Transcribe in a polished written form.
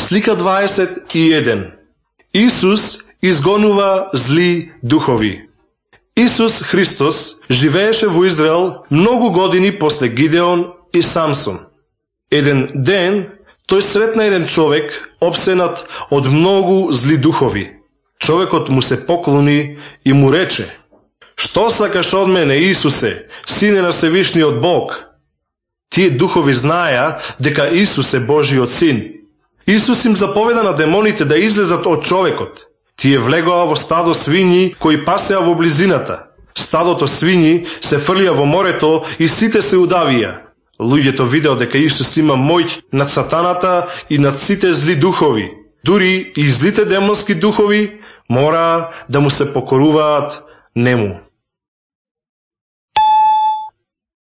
Слика 21. Исус изгонува зли духови. Исус Христос живееше во Израел многу години после Гидеон и Самсон. Еден ден тој сретна еден човек опсенат од многу зли духови. Човекот му се поклони и му рече: "Што сакаш од мене, Исусе, Сине на Севишниот Бог?" Тие духови знаеа дека Исус е Божиот Син. Исус им заповеда на демоните да излезат од човекот. Тие влегоа во стадо свињи кои пасеа во близината. Стадото свињи се фрлија во морето и сите се удавија. Луѓето видеа дека Исус има моќ над сатаната и над сите зли духови. Дури и злите демонски духови мора да му се покоруваат нему.